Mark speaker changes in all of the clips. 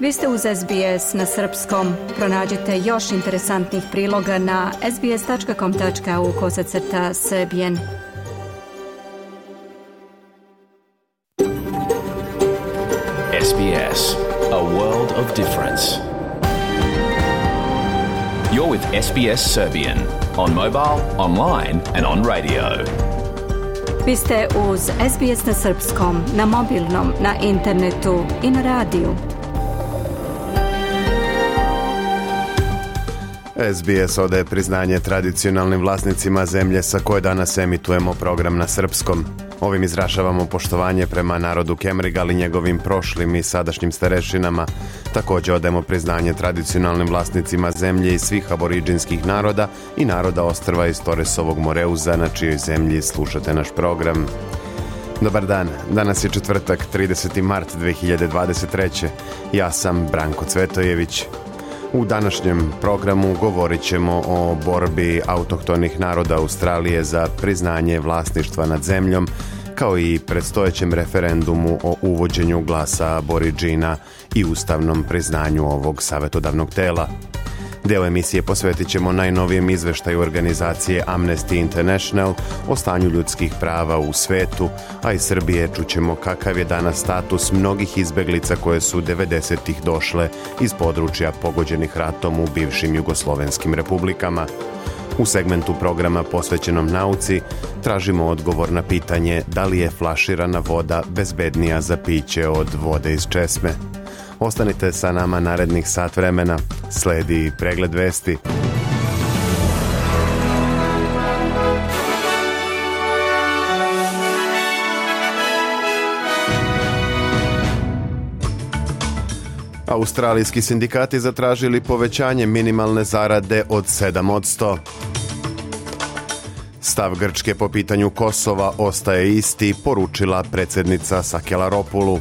Speaker 1: Vi ste uz SBS na srpskom. Pronađite još interesantnih priloga na sbs.com.au/srbijen.
Speaker 2: SBS, a world of difference. You're with SBS Serbian on mobile, online and on radio.
Speaker 1: Vi ste uz SBS na srpskom, na mobilnom, na internetu i na radiju.
Speaker 3: SBS odaje priznanje tradicionalnim vlasnicima zemlje sa koje danas emitujemo program na srpskom. Ovim izražavamo poštovanje prema narodu Kemrigal i njegovim prošlim i sadašnjim starešinama. Također odajemo priznanje tradicionalnim vlasnicima zemlje i svih aboriđinskih naroda i naroda ostrva iz Torresovog Moreuza, na čijoj zemlji slušate naš program. Dobar dan, danas je četvrtak, 30. mart 2023. Ja sam Branko Cvetojević. U današnjem programu govorit ćemo o borbi autohtonih naroda Australije za priznanje vlasništva nad zemljom, kao i predstojećem referendumu o uvođenju glasa aboriđina i ustavnom priznanju ovog savjetodavnog tela. Deo emisije posvetit ćemo najnovijem izveštaju organizacije Amnesty International o stanju ljudskih prava u svetu, a iz Srbije čućemo kakav je danas status mnogih izbeglica koje su 90-ih došle iz područja pogođenih ratom u bivšim jugoslovenskim republikama. U segmentu programa posvećenom nauci tražimo odgovor na pitanje da li je flaširana voda bezbednija za piće od vode iz česme. Ostanite sa nama narednih sat vremena. Sledi pregled vesti. Australijski sindikati zatražili povećanje minimalne zarade od 7%. Stav Grčke po pitanju Kosova ostaje isti, poručila predsjednica Sakelaropulu.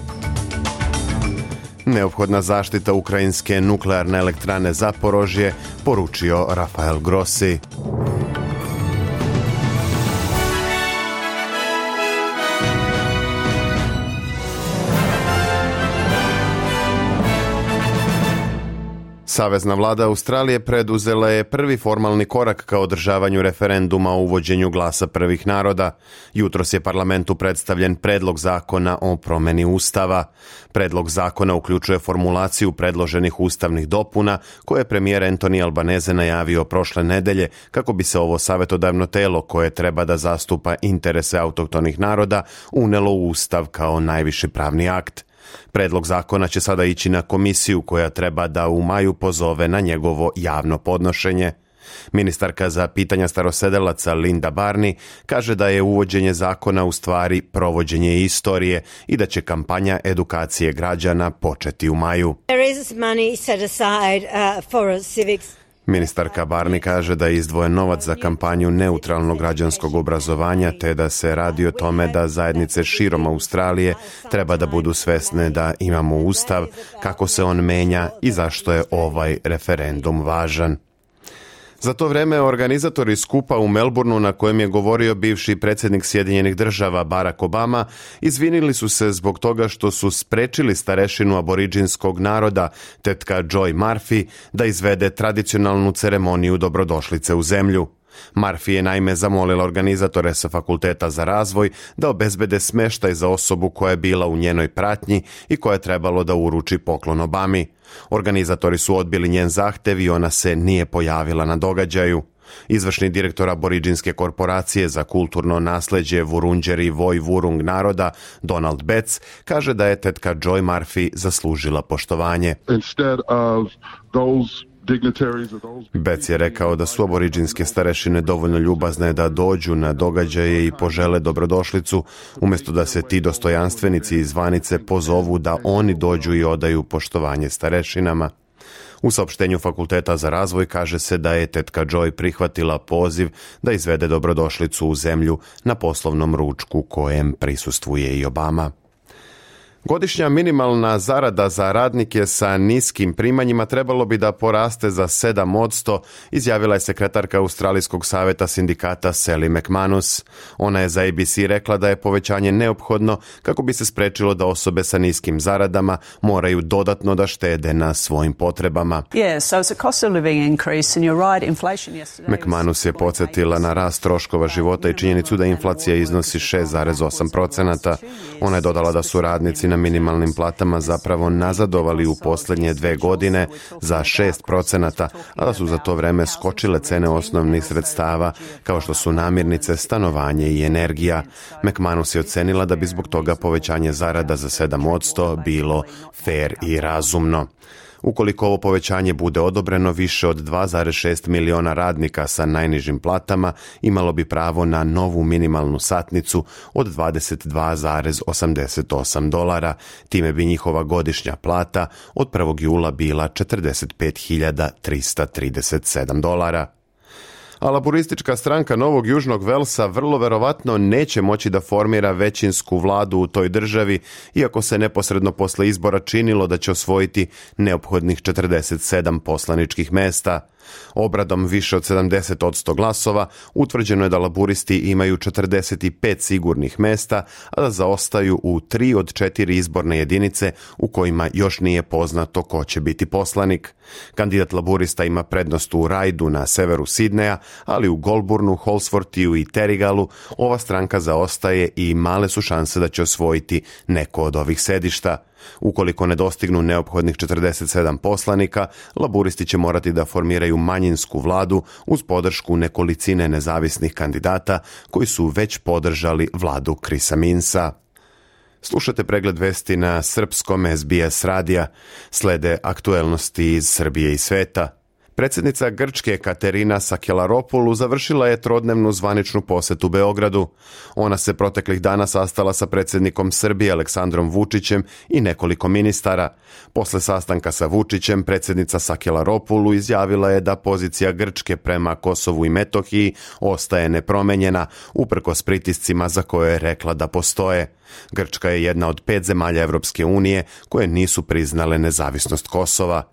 Speaker 3: Neophodna zaštita ukrajinske nuklearne elektrane Zaporožje, poručio Rafael Grossi. Savezna vlada Australije preduzela je prvi formalni korak ka održavanju referenduma o uvođenju glasa prvih naroda. Jutros je parlamentu predstavljen predlog zakona o promjeni ustava. Predlog zakona uključuje formulaciju predloženih ustavnih dopuna koje je premijer Anthony Albanese najavio prošle nedelje kako bi se ovo savjetodavno telo koje treba da zastupa interese autohtonih naroda unelo u ustav kao najviši pravni akt. Predlog zakona će sada ići na komisiju koja treba da u maju pozove na njegovo javno podnošenje. Ministarka za pitanja starosedelaca Linda Barney kaže da je uvođenje zakona u stvari provođenje istorije i da će kampanja edukacije građana početi u maju. Ministarka Barney kaže da je izdvojen novac za kampanju neutralnog građanskog obrazovanja te da se radi o tome da zajednice širom Australije treba da budu svesne da imamo ustav, kako se on menja i zašto je ovaj referendum važan. Za to vreme organizatori skupa u Melbourneu na kojem je govorio bivši predsjednik Sjedinjenih Država Barack Obama izvinili su se zbog toga što su sprečili starešinu aboriđinskog naroda, tetka Joy Murphy, da izvede tradicionalnu ceremoniju dobrodošlice u zemlju. Murphy je naime zamolila organizatore sa Fakulteta za razvoj da obezbede smeštaj za osobu koja je bila u njenoj pratnji i koja je trebalo da uruči poklon Obami. Organizatori su odbili njen zahtev i ona se nije pojavila na događaju. Izvršni direktor aboriđinske korporacije za kulturno nasleđe Wurundjeri Woi Wurrung naroda Donald Betts kaže da je tetka Joy Murphy zaslužila poštovanje. Betts je rekao da su aboriđinske starešine dovoljno ljubazne da dođu na događaje i požele dobrodošlicu, umjesto da se ti dostojanstvenici iz zvanice pozovu da oni dođu i odaju poštovanje starešinama. U saopštenju Fakulteta za razvoj kaže se da je tetka Joy prihvatila poziv da izvede dobrodošlicu u zemlju na poslovnom ručku kojem prisustvuje i Obama. Godišnja minimalna zarada za radnike sa niskim primanjima trebalo bi da poraste za 7%, izjavila je sekretarka Australijskog saveta sindikata Sally McManus. Ona je za ABC rekla da je povećanje neophodno kako bi se sprečilo da osobe sa niskim zaradama moraju dodatno da štede na svojim potrebama. McManus je podsjetila na rast troškova života i činjenicu da inflacija iznosi 6,8%. Ona je dodala da su radnici na minimalnim platama zapravo nazadovali u posljednje 2 godine za 6%, a da su za to vreme skočile cene osnovnih sredstava, kao što su namirnice, stanovanje i energija. McManus je ocenila da bi zbog toga povećanje zarada za 7% bilo fair i razumno. Ukoliko ovo povećanje bude odobreno, više od 2,6 miliona radnika sa najnižim platama imalo bi pravo na novu minimalnu satnicu od $22,88. Time bi njihova godišnja plata od 1. jula bila $45.337. A laburistička stranka Novog Južnog Velsa vrlo verovatno neće moći da formira većinsku vladu u toj državi, iako se neposredno posle izbora činilo da će osvojiti neophodnih 47 poslaničkih mesta. Obradom više od 70% glasova utvrđeno je da laburisti imaju 45 sigurnih mesta, a da zaostaju u 3 od 4 izborne jedinice u kojima još nije poznato ko će biti poslanik. Kandidat laburista ima prednost u Raidu na severu Sidneja, ali u Goulburnu, Holsworthu i Terrigalu ova stranka zaostaje i male su šanse da će osvojiti neko od ovih sedišta. Ukoliko ne dostignu neophodnih 47 poslanika, laburisti će morati da formiraju manjinsku vladu uz podršku nekolicine nezavisnih kandidata koji su već podržali vladu Chrisa Minsa. Slušate pregled vesti na srpskom SBS radija. Slede aktuelnosti iz Srbije i sveta. Predsjednica Grčke Katerina Sakelaropoulou završila je trodnevnu zvaničnu posetu Beogradu. Ona se proteklih dana sastala sa predsjednikom Srbije Aleksandrom Vučićem i nekoliko ministara. Posle sastanka sa Vučićem, predsjednica Sakelaropoulou izjavila je da pozicija Grčke prema Kosovu i Metohiji ostaje nepromenjena, uprkos pritiscima za koje je rekla da postoje. Grčka je jedna od 5 zemalja Evropske unije koje nisu priznale nezavisnost Kosova.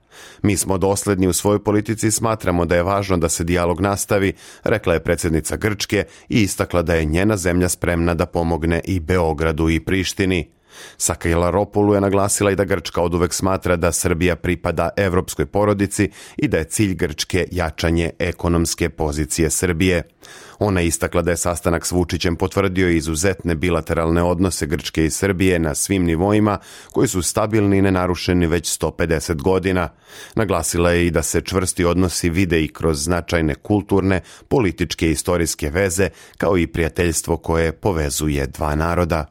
Speaker 3: Mi smo dosledni u svojoj politici i smatramo da je važno da se dijalog nastavi, rekla je predsjednica Grčke i istakla da je njena zemlja spremna da pomogne i Beogradu i Prištini. Sakelaropoulou je naglasila i da Grčka oduvek smatra da Srbija pripada evropskoj porodici i da je cilj Grčke jačanje ekonomske pozicije Srbije. Ona je istakla da je sastanak s Vučićem potvrdio izuzetne bilateralne odnose Grčke i Srbije na svim nivoima koji su stabilni i nenarušeni već 150 godina. Naglasila je i da se čvrsti odnosi vide i kroz značajne kulturne, političke i istorijske veze, kao i prijateljstvo koje povezuje dva naroda.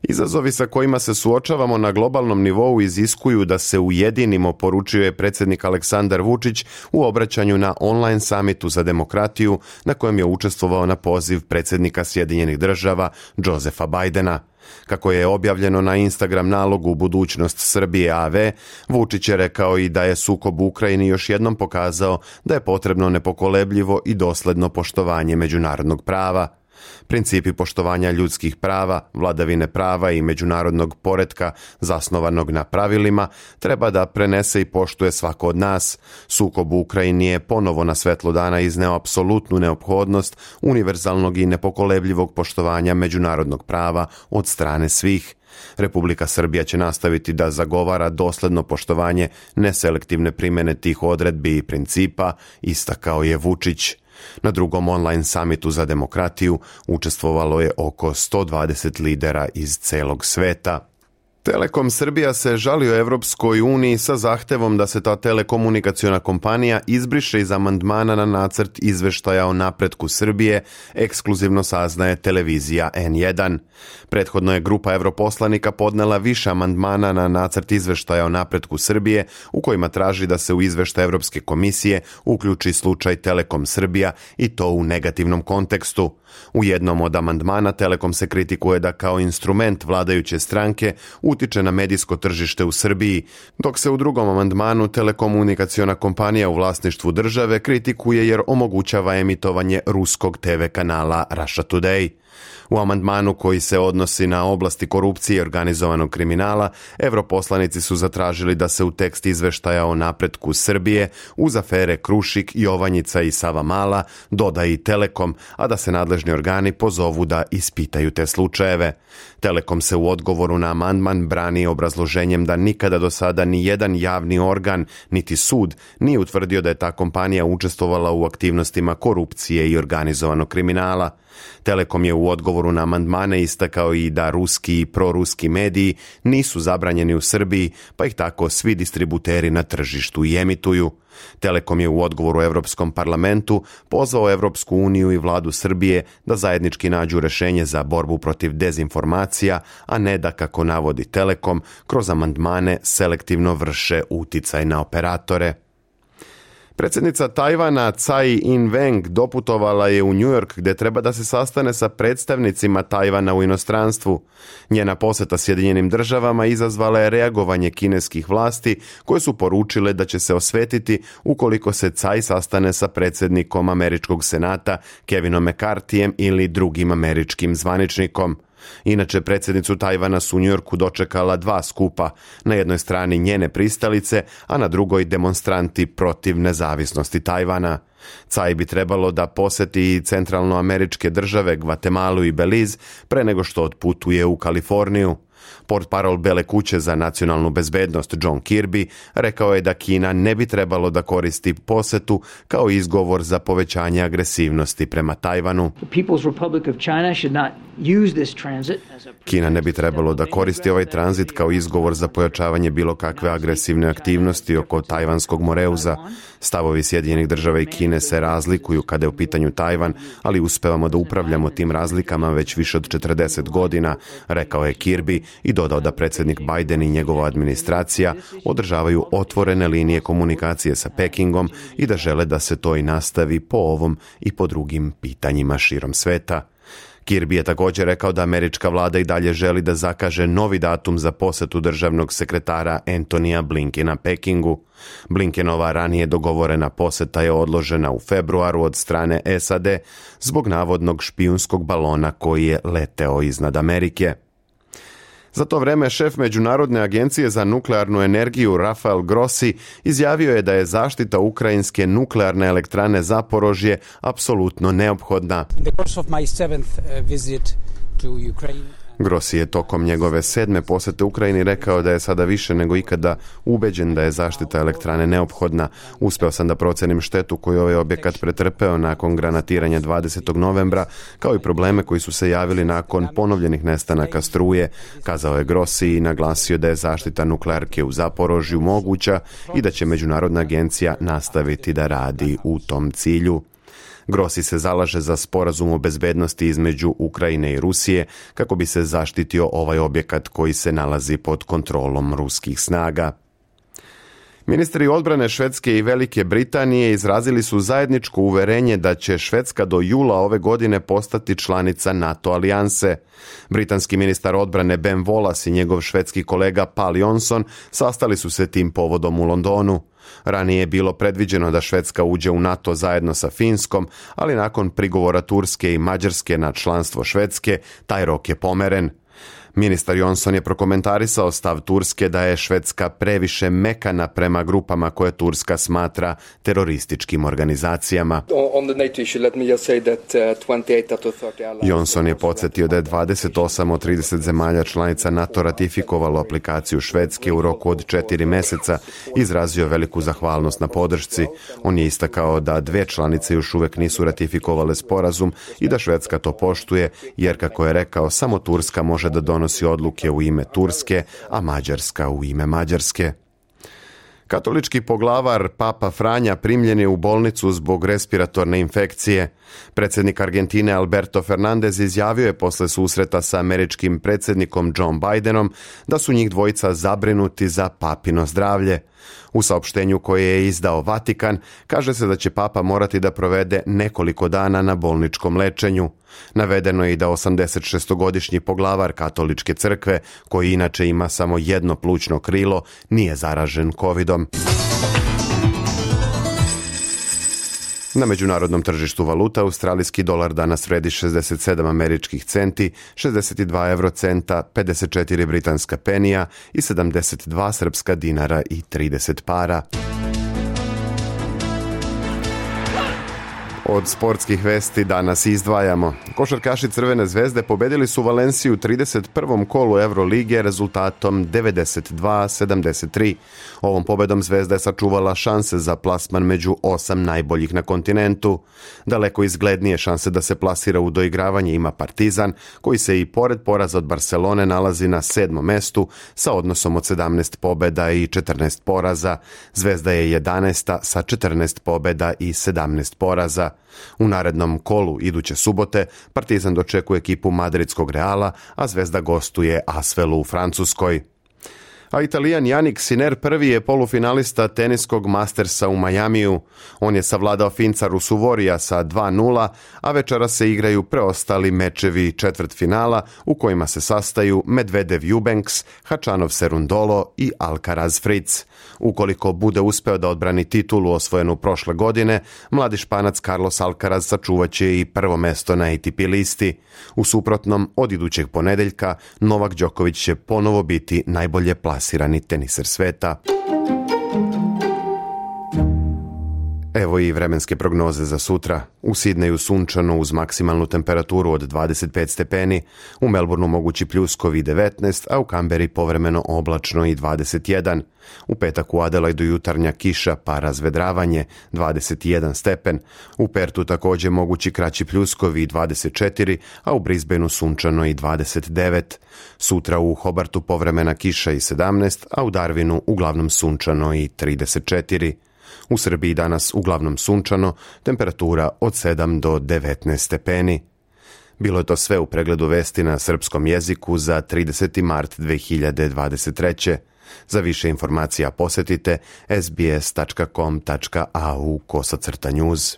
Speaker 3: Izazovi sa kojima se suočavamo na globalnom nivou iziskuju da se ujedinimo, poručio je predsjednik Aleksandar Vučić u obraćanju na online samitu za demokratiju na kojem je učestvovao na poziv predsjednika Sjedinjenih Država Josepha Bidena. Kako je objavljeno na Instagram nalogu Budućnost Srbije AV, Vučić je rekao i da je sukob u Ukrajini još jednom pokazao da je potrebno nepokolebljivo i dosledno poštovanje međunarodnog prava. Principi poštovanja ljudskih prava, vladavine prava i međunarodnog poretka zasnovanog na pravilima treba da prenese i poštuje svako od nas. Sukob u Ukrajini je ponovo na svetlo dana izneo apsolutnu neophodnost univerzalnog i nepokolebljivog poštovanja međunarodnog prava od strane svih. Republika Srbija će nastaviti da zagovara dosledno poštovanje neselektivne primjene tih odredbi i principa, istakao je Vučić. Na drugom online samitu za demokratiju učestvovalo je oko 120 lidera iz celog sveta. Telekom Srbija se žalio Evropskoj uniji sa zahtevom da se ta telekomunikaciona kompanija izbriše iz amandmana na nacrt izveštaja o napretku Srbije, ekskluzivno saznaje televizija N1. Prethodno je grupa europoslanika podnela više amandmana na nacrt izveštaja o napretku Srbije, u kojima traži da se u izveštaj Evropske komisije uključi slučaj Telekom Srbija i to u negativnom kontekstu. U jednom od amandmana Telekom se kritikuje da kao instrument vladajuće stranke utiče na medijsko tržište u Srbiji, dok se u drugom amandmanu telekomunikaciona kompanija u vlasništvu države kritikuje jer omogućava emitovanje ruskog TV kanala Russia Today. U amandmanu koji se odnosi na oblasti korupcije i organizovanog kriminala, europoslanici su zatražili da se u tekst izveštaja o napretku Srbije uz afere Krušik, Jovanjica i Savamala doda i Telekom, a da se nadležni organi pozovu da ispitaju te slučajeve. Telekom se u odgovoru na amandman brani obrazloženjem da nikada do sada ni jedan javni organ, niti sud, nije utvrdio da je ta kompanija učestvovala u aktivnostima korupcije i organizovanog kriminala. Telekom je u odgovoru na amandmane istakao i da ruski i proruski mediji nisu zabranjeni u Srbiji, pa ih tako svi distributeri na tržištu i emituju. Telekom je u odgovoru Europskom parlamentu pozvao Europsku uniju i vladu Srbije da zajednički nađu rješenje za borbu protiv dezinformacija, a ne da, kako navodi Telekom, kroz amandmane selektivno vrše uticaj na operatore. Predsjednica Tajvana Tsai Ing-wen doputovala je u New York gdje treba da se sastane sa predstavnicima Tajvana u inostranstvu. Njena posjeta Sjedinjenim državama izazvala je reagovanje kineskih vlasti koje su poručile da će se osvetiti ukoliko se Tsai sastane sa predsjednikom Američkog senata Kevinom McCarthyjem ili drugim američkim zvaničnikom. Inače, predsjednicu Tajvana su u New Yorku dočekala dva skupa, na jednoj strani njene pristalice, a na drugoj demonstranti protiv nezavisnosti Tajvana. Tsai bi trebalo da posjeti i centralnoameričke države Gvatemalu i Belize pre nego što otputuje u Kaliforniju. Portparol Bele kuće za nacionalnu bezbednost John Kirby rekao je da Kina ne bi trebalo da koristi posjetu kao izgovor za povećanje agresivnosti prema Tajvanu. Kina ne bi trebalo da koristi ovaj tranzit kao izgovor za pojačavanje bilo kakve agresivne aktivnosti oko tajvanskog moreuza. Stavovi Sjedinjenih država i Kine se razlikuju kada je u pitanju Tajvan, ali uspevamo da upravljamo tim razlikama već više od 40 godina, rekao je Kirby i dodao da predsjednik Biden i njegova administracija održavaju otvorene linije komunikacije sa Pekingom i da žele da se to i nastavi po ovom i po drugim pitanjima širom sveta. Kirby je također rekao da američka vlada i dalje želi da zakaže novi datum za posjetu državnog sekretara Antonija Blinkena Pekingu. Blinkenova ranije dogovorena posjeta je odložena u februaru od strane SAD zbog navodnog špijunskog balona koji je leteo iznad Amerike. Za to vreme šef Međunarodne agencije za nuklearnu energiju Rafael Grossi izjavio je da je zaštita ukrajinske nuklearne elektrane Zaporožje apsolutno neophodna. Grossi je tokom njegove 7. posjete Ukrajini rekao da je sada više nego ikada ubeđen da je zaštita elektrane neophodna. Uspeo sam da procenim štetu koju ovaj objekat pretrpeo nakon granatiranja 20. novembra, kao i probleme koji su se javili nakon ponovljenih nestanaka struje, kazao je Grossi i naglasio da je zaštita nuklearke u Zaporožju moguća i da će Međunarodna agencija nastaviti da radi u tom cilju. Grossi se zalaže za sporazum o bezbednosti između Ukrajine i Rusije kako bi se zaštitio ovaj objekat koji se nalazi pod kontrolom ruskih snaga. Ministri odbrane Švedske i Velike Britanije izrazili su zajedničko uverenje da će Švedska do jula ove godine postati članica NATO alijanse. Britanski ministar odbrane Ben Wallace i njegov švedski kolega Paul Johnson sastali su se tim povodom u Londonu. Ranije je bilo predviđeno da Švedska uđe u NATO zajedno sa Finskom, ali nakon prigovora Turske i Mađarske na članstvo Švedske, taj rok je pomeren. Ministar Johnson je prokomentarisao stav Turske da je Švedska previše mekana prema grupama koje Turska smatra terorističkim organizacijama. Johnson je podsjetio da je 28 od 30 zemalja članica NATO ratifikovalo aplikaciju Švedske u roku od 4 mjeseca i izrazio veliku zahvalnost na podršci. On je istakao da 2 članice još uvijek nisu ratifikovale sporazum i da Švedska to poštuje, jer, kako je rekao, samo Turska može da donosi odluke u ime Turske, a Mađarska u ime Mađarske. Katolički poglavar Papa Franja primljen je u bolnicu zbog respiratorne infekcije. Predsjednik Argentine Alberto Fernandez izjavio je posle susreta sa američkim predsjednikom Joe Bidenom da su njih dvojica zabrinuti za papino zdravlje. U saopštenju koje je izdao Vatikan kaže se da će Papa morati da provede nekoliko dana na bolničkom lečenju. Navedeno je i da 86-godišnji poglavar Katoličke crkve, koji inače ima samo jedno plućno krilo, nije zaražen covidom. Na međunarodnom tržištu valuta australijski dolar danas vredi 67 američkih centi, 62 eurocenta, 54 britanska penija i 72 srpska dinara i 30 para. Od sportskih vesti danas izdvajamo. Košarkaši Crvene zvezde pobedili su Valenciju u 31. kolu Evrolige rezultatom 92-73. Ovom pobedom Zvezda je sačuvala šanse za plasman među 8 najboljih na kontinentu. Daleko izglednije šanse da se plasira u doigravanje ima Partizan, koji se i pored poraza od Barcelone nalazi na 7. mestu sa odnosom od 17 pobeda i 14 poraza. Zvezda je 11. sa 14 pobeda i 17 poraza. U narednom kolu iduće subote Partizan dočekuje ekipu madridskog Reala, a Zvezda gostuje Asvelu u Francuskoj. A Italijan Jannik Sinner prvi je polufinalista teniskog Mastersa u Majamiju. On je savladao Finca Rusuvorija sa 2:0, a večera se igraju preostali mečevi četvrtfinala u kojima se sastaju Medvedev Eubanks, Hačanov Serundolo i Alcaraz Fritz. Ukoliko bude uspeo da odbrani titulu osvojenu prošle godine, mladi Španac Carlos Alcaraz sačuvaće i prvo mesto na ATP listi. U suprotnom, od idućeg ponedeljka Novak Đoković će ponovo biti najbolje plasirani teniser sveta. Evo i vremenske prognoze za sutra. U Sidneju sunčano uz maksimalnu temperaturu od 25 stepeni, u Melbourneu mogući pljuskovi 19, a u Kamberi povremeno oblačno i 21. U petak u Adelaidu jutarnja kiša pa razvedravanje 21 stepen. U Pertu također mogući kraći pljuskovi 24, a u Brisbaneu sunčano i 29. Sutra u Hobartu povremena kiša i 17, a u Darwinu uglavnom sunčano i 34. U Srbiji danas uglavnom sunčano, temperatura od 7 do 19 stepeni. Bilo je to sve u pregledu vesti na srpskom jeziku za 30. mart 2023. Za više informacija posjetite sbs.com.au/news.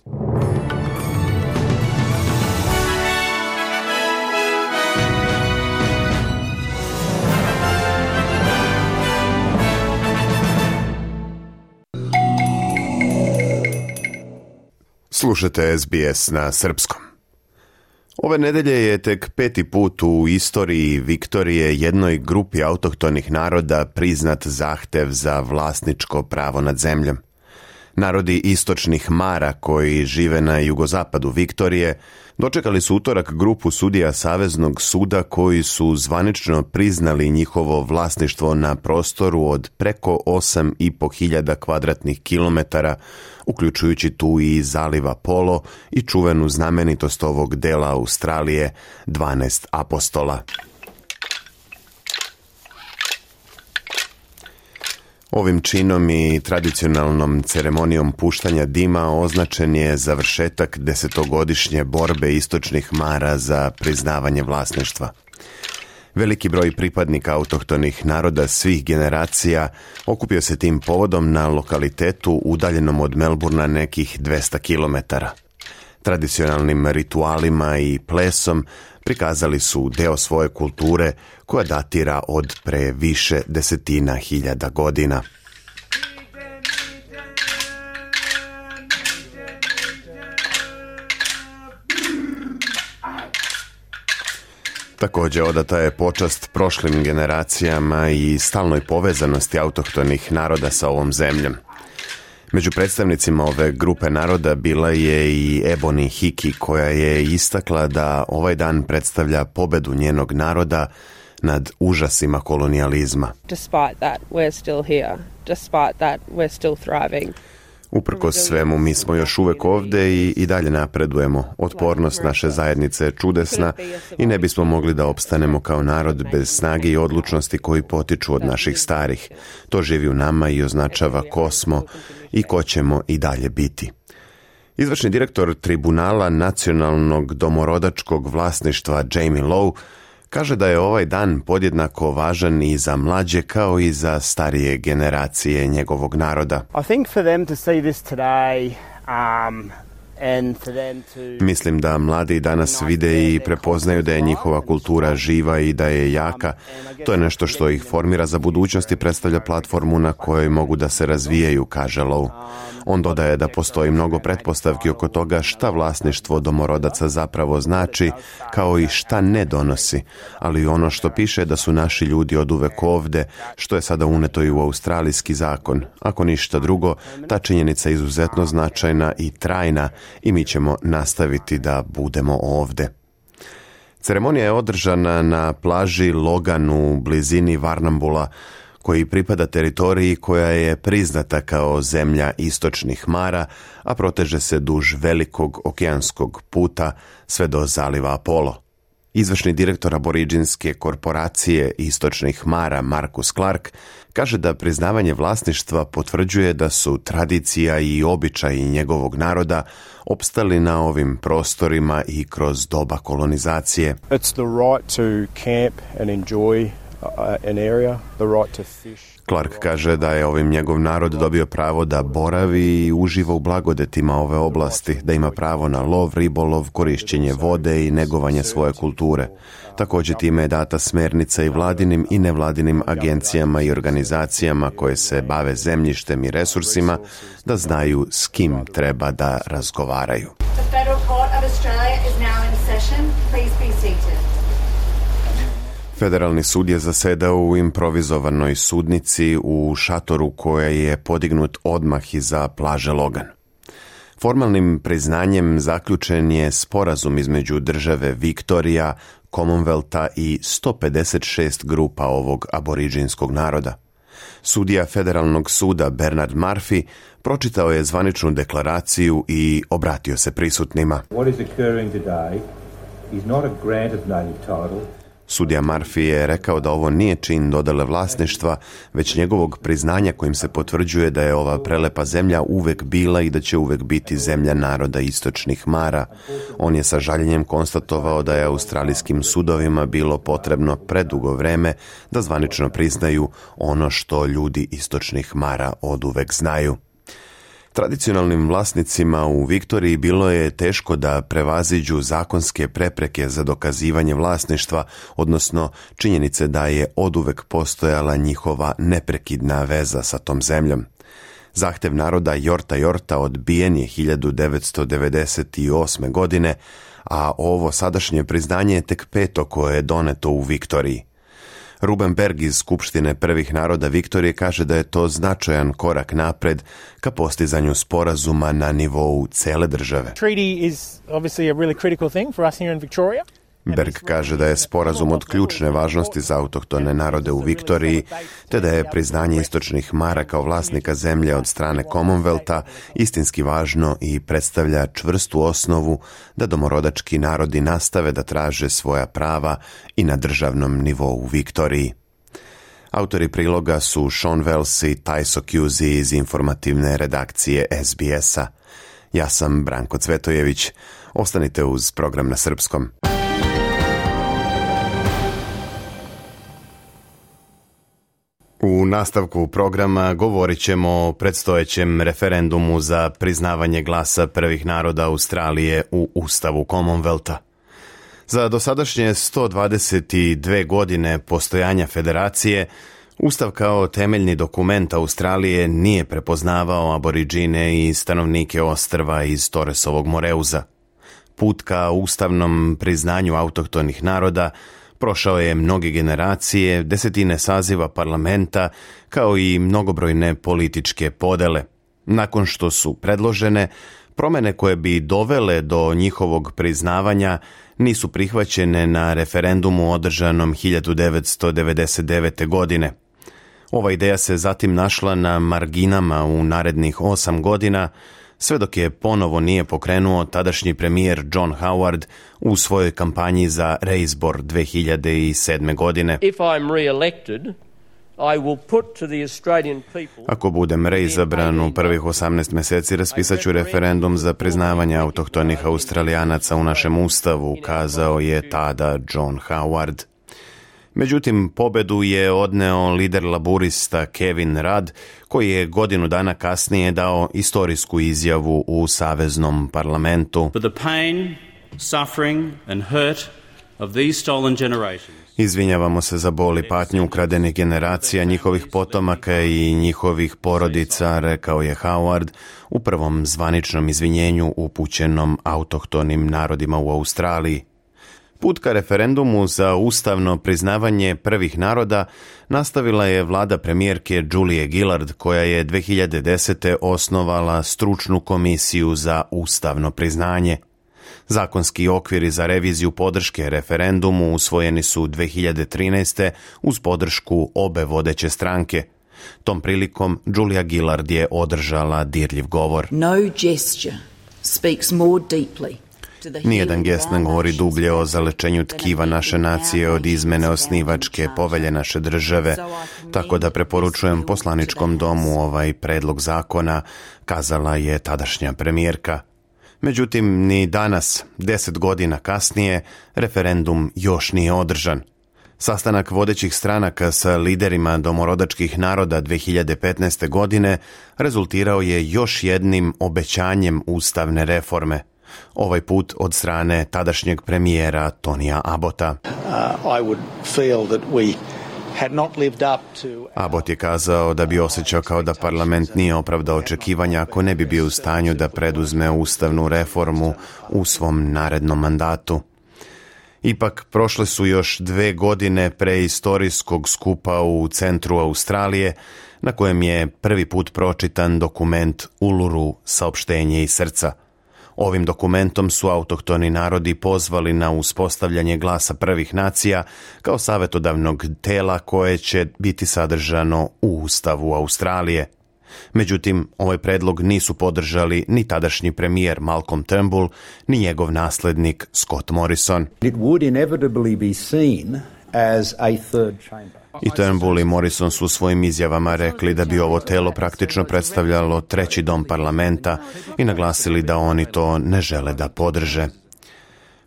Speaker 3: Slušate SBS na srpskom. Ove nedelje je tek 5. put u istoriji Viktorije jednoj grupi autohtonih naroda priznat zahtev za vlasničko pravo nad zemljom. Narodi istočnih Mara koji žive na jugozapadu Viktorije dočekali su utorak grupu sudija Saveznog suda koji su zvanično priznali njihovo vlasništvo na prostoru od preko 8.500 kvadratnih kilometara, uključujući tu i zaliva Polo i čuvenu znamenitost ovog dela Australije, 12 apostola. Ovim činom i tradicionalnom ceremonijom puštanja dima označen je završetak 10-godišnje borbe istočnih Mara za priznavanje vlasništva. Veliki broj pripadnika autohtonih naroda svih generacija okupio se tim povodom na lokalitetu udaljenom od Melbournea nekih 200 kilometara. Tradicionalnim ritualima i plesom prikazali su deo svoje kulture koja datira od pre više desetina hiljada godina. Također odata je počast prošlim generacijama i stalnoj povezanosti autohtonih naroda sa ovom zemljom. Među predstavnicima ove grupe naroda bila je i Ebony Hickey, koja je istakla da ovaj dan predstavlja pobedu njenog naroda nad užasima kolonijalizma.
Speaker 4: Despite that, we're still here. Despite that, we're still thriving.
Speaker 3: Uprkos svemu, mi smo još uvek ovde i dalje napredujemo. Otpornost naše zajednice je čudesna i ne bismo mogli da opstanemo kao narod bez snage i odlučnosti koji potiču od naših starih. To živi u nama i označava ko smo i ko ćemo i dalje biti. Izvršni direktor Tribunala nacionalnog domorodačkog vlasništva Jamie Lowe kaže da je ovaj dan podjednako važan i za mlađe kao i za starije generacije njegovog naroda.
Speaker 5: I think for them to see this today
Speaker 3: Mislim da mladi danas vide i prepoznaju da je njihova kultura živa i da je jaka. To je nešto što ih formira za budućnost i predstavlja platformu na kojoj mogu da se razvijaju, kaže Lowe. On dodaje da postoji mnogo pretpostavki oko toga šta vlasništvo domorodaca zapravo znači, kao i šta ne donosi. Ali ono što piše da su naši ljudi oduvek ovde, što je sada uneto i u australijski zakon. Ako ništa drugo, ta činjenica je izuzetno značajna i trajna i mi ćemo nastaviti da budemo ovde. Ceremonija je održana na plaži Logan u blizini Warrnambool-a, koji pripada teritoriji koja je priznata kao zemlja istočnih mara, a proteže se duž velikog okeanskog puta sve do zaliva Apollo. Izvršni direktor aboriđinske korporacije istočnih mara Marcus Clark kaže da priznavanje vlasništva potvrđuje da su tradicija i običaji njegovog naroda opstali na ovim prostorima i kroz doba kolonizacije.
Speaker 5: It's the right to camp and enjoy an area, the right to fish.
Speaker 3: Clark kaže da je ovim njegov narod dobio pravo da boravi i uživa u blagodetima ove oblasti, da ima pravo na lov, ribolov, korišćenje vode i negovanje svoje kulture. Također time je data smernica i vladinim i nevladinim agencijama i organizacijama koje se bave zemljištem i resursima da znaju s kim treba da razgovaraju.
Speaker 6: The Federal Court of Australia is now in session. Please be seated.
Speaker 3: Federalni sud je zasedao u improvizovanoj sudnici u šatoru koja je podignut odmah iza plaže Logan. Formalnim priznanjem zaključen je sporazum između države Viktorija, Commonwealtha i 156 grupa ovog aboriđinskog naroda. Sudija Federalnog suda Bernard Murphy pročitao je zvaničnu deklaraciju i obratio se prisutnima.
Speaker 7: What is occurring today is not a grant of native title.
Speaker 3: Sudija Murphy je rekao da ovo nije čin dodele vlasništva, već njegovog priznanja kojim se potvrđuje da je ova prelepa zemlja uvek bila i da će uvek biti zemlja naroda istočnih mara. On je sa žaljenjem konstatovao da je australijskim sudovima bilo potrebno predugo vreme da zvanično priznaju ono što ljudi istočnih mara oduvek znaju. Tradicionalnim vlasnicima u Viktoriji bilo je teško da prevaziđu zakonske prepreke za dokazivanje vlasništva, odnosno činjenice da je oduvek postojala njihova neprekidna veza sa tom zemljom. Zahtev naroda Yorta Yorta odbijen je 1998. godine, a ovo sadašnje priznanje je tek peto koje je doneto u Viktoriji. Ruben Berg iz Skupštine prvih naroda Viktorije kaže da je to značajan korak napred ka postizanju sporazuma na nivou cele države.
Speaker 8: Treaty is obviously a really critical thing for us here in Victoria.
Speaker 3: Berg kaže da je sporazum od ključne važnosti za autohtone narode u Viktoriji, te da je priznanje istočnih mara kao vlasnika zemlje od strane Commonwealtha istinski važno i predstavlja čvrstu osnovu da domorodački narodi nastave da traže svoja prava i na državnom nivou u Viktoriji. Autori priloga su Sean Wells i Tyso Cusi iz informativne redakcije SBS-a. Ja sam Branko Cvetojević. Ostanite uz program na srpskom. U nastavku programa govorit ćemo o predstojećem referendumu za priznavanje glasa prvih naroda Australije u Ustavu Commonwealtha. Za dosadašnje 122 godine postojanja federacije, Ustav kao temeljni dokument Australije nije prepoznavao aboriđine i stanovnike ostrva iz Torresovog Moreuza. Put ka ustavnom priznanju autohtonih naroda prošao je mnoge generacije, desetine saziva parlamenta, kao i mnogobrojne političke podele. Nakon što su predložene, promene koje bi dovele do njihovog priznavanja nisu prihvaćene na referendumu održanom 1999. godine. Ova ideja se zatim našla na marginama u narednih 8 godina, sve dok je ponovo nije pokrenuo tadašnji premijer John Howard u svojoj kampanji za reizbor 2007. godine. Ako budem reizabran u prvih 18 mjeseci, raspisat ću referendum za priznavanje autohtonih Australijanaca u našem ustavu, kazao je tada John Howard. Međutim, pobedu je odneo lider laburista Kevin Rudd, koji je godinu dana kasnije dao istorijsku izjavu u saveznom parlamentu.
Speaker 9: For the pain, suffering and hurt of these stolen generations.
Speaker 3: Izvinjavamo se za bol i patnju ukradenih generacija, njihovih potomaka i njihovih porodica, rekao je Howard u prvom zvaničnom izvinjenju upućenom autohtonim narodima u Australiji. Put ka referendumu za ustavno priznavanje prvih naroda nastavila je vlada premijerke Julie Gillard, koja je 2010. osnovala stručnu komisiju za ustavno priznanje. Zakonski okviri za reviziju podrške referendumu usvojeni su 2013. uz podršku obe vodeće stranke. Tom prilikom Julia Gillard je održala dirljiv govor.
Speaker 10: No gesture speaks more deeply.
Speaker 3: Nijedan gest ne govori dublje o zalečenju tkiva naše nacije od izmene osnivačke povelje naše države, tako da preporučujem poslaničkom domu ovaj predlog zakona, kazala je tadašnja premijerka. Međutim, ni danas, 10 godina kasnije, referendum još nije održan. Sastanak vodećih stranaka sa liderima domorodačkih naroda 2015. godine rezultirao je još jednim obećanjem ustavne reforme. Ovaj put od strane tadašnjeg premijera Tonija Abbotta. Abbott je kazao da bi osjećao kao da parlament nije opravdao očekivanja ako ne bi bio u stanju da preduzme ustavnu reformu u svom narednom mandatu. Ipak, prošle su još 2 godine preistorijskog skupa u centru Australije, na kojem je prvi put pročitan dokument Uluru, saopštenje iz srca. Ovim dokumentom su autohtoni narodi pozvali na uspostavljanje glasa prvih nacija kao savjetodavnog tela koje će biti sadržano u Ustavu Australije. Međutim, ovaj predlog nisu podržali ni tadašnji premijer Malcolm Turnbull, ni njegov naslednik Scott Morrison.
Speaker 11: It would inevitably be seen as a third chamber.
Speaker 3: I Turnbull i Morrison su u svojim izjavama rekli da bi ovo telo praktično predstavljalo treći dom parlamenta i naglasili da oni to ne žele da podrže.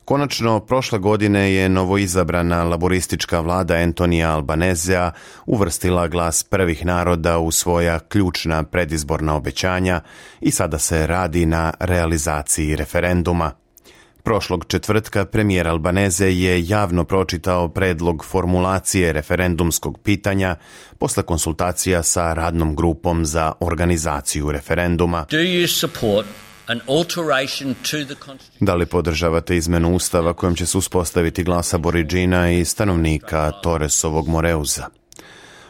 Speaker 3: Konačno, prošle godine je novoizabrana laboristička vlada Antonija Albanezea uvrstila glas prvih naroda u svoja ključna predizborna obećanja i sada se radi na realizaciji referenduma. Prošlog četvrtka premijer Albaneze je javno pročitao predlog formulacije referendumskog pitanja posle konsultacija sa radnom grupom za organizaciju referenduma. Da li podržavate izmenu Ustava kojom će se uspostaviti glas Aboridžina i stanovnika Torresovog Moreuza?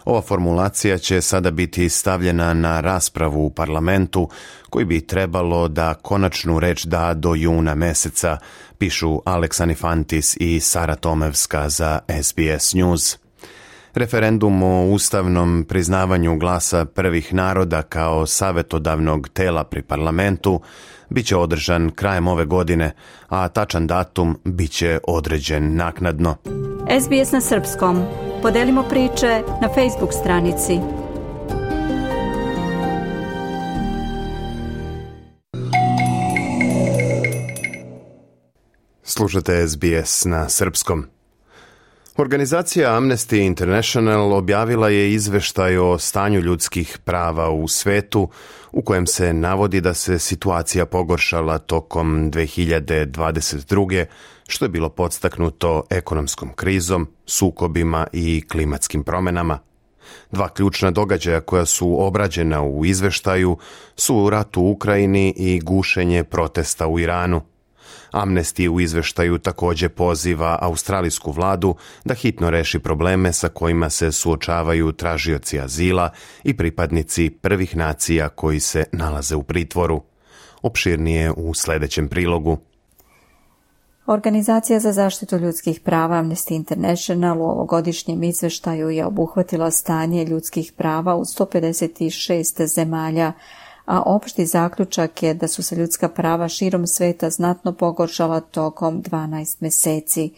Speaker 3: Ova formulacija će sada biti stavljena na raspravu u parlamentu, koji bi trebalo da konačnu reč da do juna meseca, pišu Alex Anifantis i Sara Tomevska za SBS News. Referendum o ustavnom priznavanju glasa prvih naroda kao savjetodavnog tela pri parlamentu biće održan krajem ove godine, a tačan datum biće određen naknadno.
Speaker 1: SBS na srpskom. Podelimo priče na Facebook stranici.
Speaker 3: Slušate SBS na srpskom. Organizacija Amnesty International objavila je izveštaj o stanju ljudskih prava u svetu, u kojem se navodi da se situacija pogoršala tokom 2022. što je bilo podstaknuto ekonomskom krizom, sukobima i klimatskim promenama. 2 ključna događaja koja su obrađena u izveštaju su rat u Ukrajini i gušenje protesta u Iranu. Amnesty u izveštaju također poziva australijsku vladu da hitno reši probleme sa kojima se suočavaju tražioci azila i pripadnici prvih nacija koji se nalaze u pritvoru. Opširnije u sljedećem prilogu.
Speaker 1: Organizacija za zaštitu ljudskih prava Amnesty International u ovogodišnjem izveštaju je obuhvatila stanje ljudskih prava u 156 zemalja, a opšti zaključak je da su se ljudska prava širom sveta znatno pogoršala tokom 12 meseci.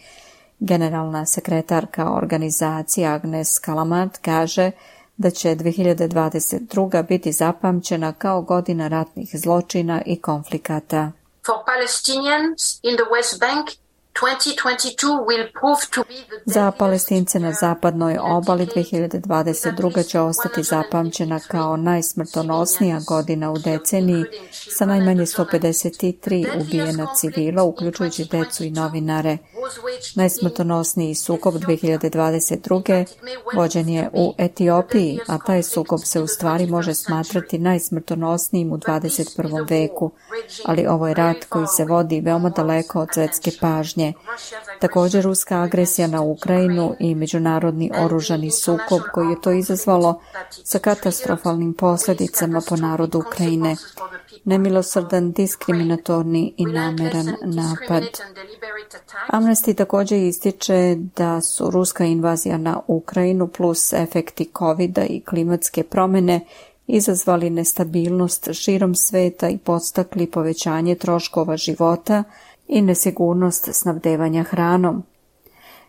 Speaker 1: Generalna sekretarka organizacije Agnes Callamard kaže da će 2022. biti zapamćena kao godina ratnih zločina i konflikata.
Speaker 12: For Palestinians in the West Bank,
Speaker 1: Za Palestince na zapadnoj obali 2022. će ostati zapamćena kao najsmrtonosnija godina u deceniji sa najmanje 153 ubijena civila, uključujući decu i novinare. Najsmrtonosniji sukob 2022. vođen je u Etiopiji, a taj sukob se u stvari može smatrati najsmrtonosnijim u 21. veku, ali ovo je rat koji se vodi veoma daleko od svetske pažnje. Također ruska agresija na Ukrajinu i međunarodni oružani sukob koji je to izazvalo sa katastrofalnim posljedicama po narodu Ukrajine. Nemilosrdan, diskriminatorni i nameran napad. Amnesty također ističe da su ruska invazija na Ukrajinu plus efekti COVID-a i klimatske promjene izazvali nestabilnost širom sveta i podstakli povećanje troškova života i nesigurnost snabdevanja hranom.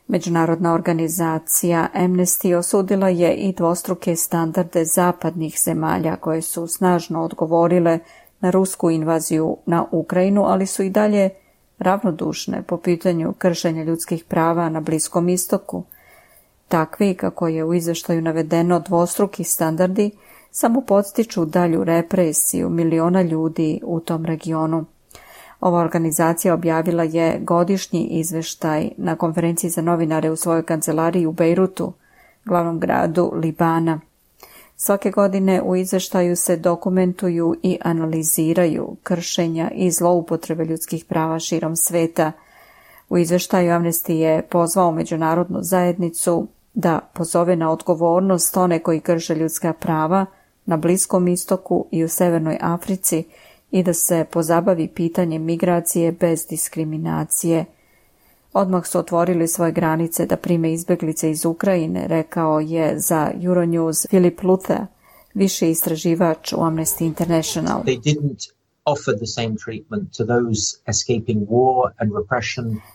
Speaker 1: Međunarodna organizacija Amnesty osudila je i dvostruke standarde zapadnih zemalja koje su snažno odgovorile na rusku invaziju na Ukrajinu, ali su i dalje ravnodušne po pitanju kršenja ljudskih prava na Bliskom istoku. Takvi, kako je u izvještaju navedeno, dvostruki standardi samo podstiču dalju represiju miliona ljudi u tom regionu. Ova organizacija objavila je godišnji izvještaj na konferenciji za novinare u svojoj kancelariji u Bejrutu, glavnom gradu Libana. Svake godine u izvještaju se dokumentuju i analiziraju kršenja i zloupotrebe ljudskih prava širom sveta. U izvještaju Amnesty je pozvao međunarodnu zajednicu da pozove na odgovornost one koji krše ljudska prava na Bliskom istoku i u Severnoj Africi i da se pozabavi pitanjem migracije bez diskriminacije. Odmah su otvorili svoje granice da prime izbjeglice iz Ukrajine, rekao je za Euronews Philip Luther, viši istraživač u Amnesty International.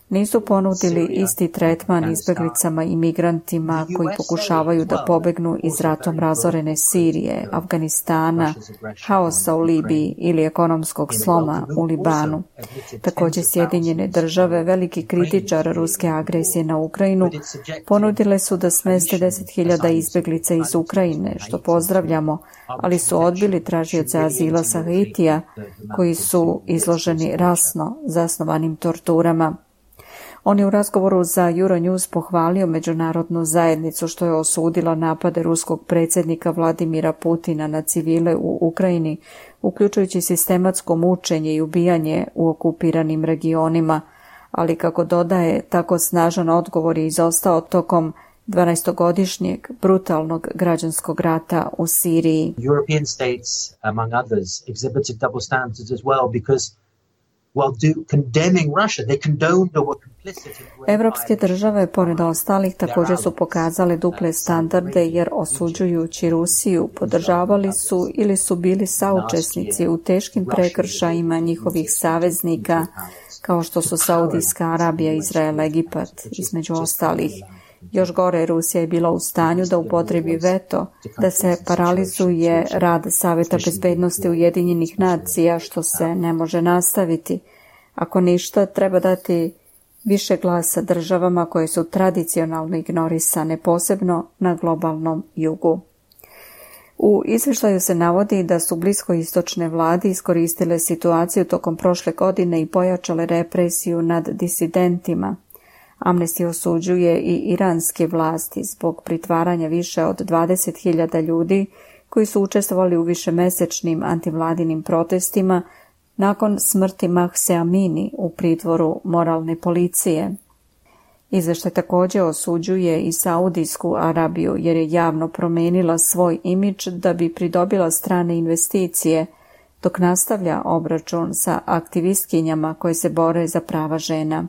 Speaker 1: Nisu ponudili isti tretman izbjeglicama i migrantima koji pokušavaju da pobegnu iz ratom razorene Sirije, Afganistana, haosa u Libiji ili ekonomskog sloma u Libanu. Također Sjedinjene države, veliki kritičar ruske agresije na Ukrajinu, ponudile su da smeste 10.000 izbjeglica iz Ukrajine, što pozdravljamo, ali su odbili tražioce azila sa Haitija, koji su izloženi rasno zasnovanim torturama. On je u razgovoru za Euronews pohvalio međunarodnu zajednicu što je osudila napade ruskog predsjednika Vladimira Putina na civile u Ukrajini, uključujući sistematsko mučenje i ubijanje u okupiranim regionima, ali kako dodaje, tako snažan odgovor je izostao tokom 12-godišnjeg brutalnog građanskog rata u Siriji.
Speaker 12: European states, among others, exhibited double standards as well because condemning Russia, they condoned or were complicit in...
Speaker 1: Evropske države, pored ostalih, također su pokazale duple standarde jer osuđujući Rusiju podržavali su ili su bili saučesnici u teškim prekršajima njihovih saveznika, kao što su Saudijska Arabija, Izrael, Egipat, između ostalih. Još gore, Rusija je bila u stanju da upotrebi veto, da se paralizuje rad Saveta bezbednosti Ujedinjenih nacija, što se ne može nastaviti. Ako ništa, treba dati više glasa državama koje su tradicionalno ignorisane, posebno na globalnom jugu. U izvještaju se navodi da su bliskoistočne vlade iskoristile situaciju tokom prošle godine i pojačale represiju nad disidentima. Amnesty osuđuje i iranske vlasti zbog pritvaranja više od 20.000 ljudi koji su učestvovali u višemesečnim antivladinim protestima nakon smrti Mahse Amini u pritvoru moralne policije. Izvještaj također osuđuje i Saudijsku Arabiju jer je javno promijenila svoj imidž da bi pridobila strane investicije, dok nastavlja obračun sa aktivistkinjama koje se bore za prava žena.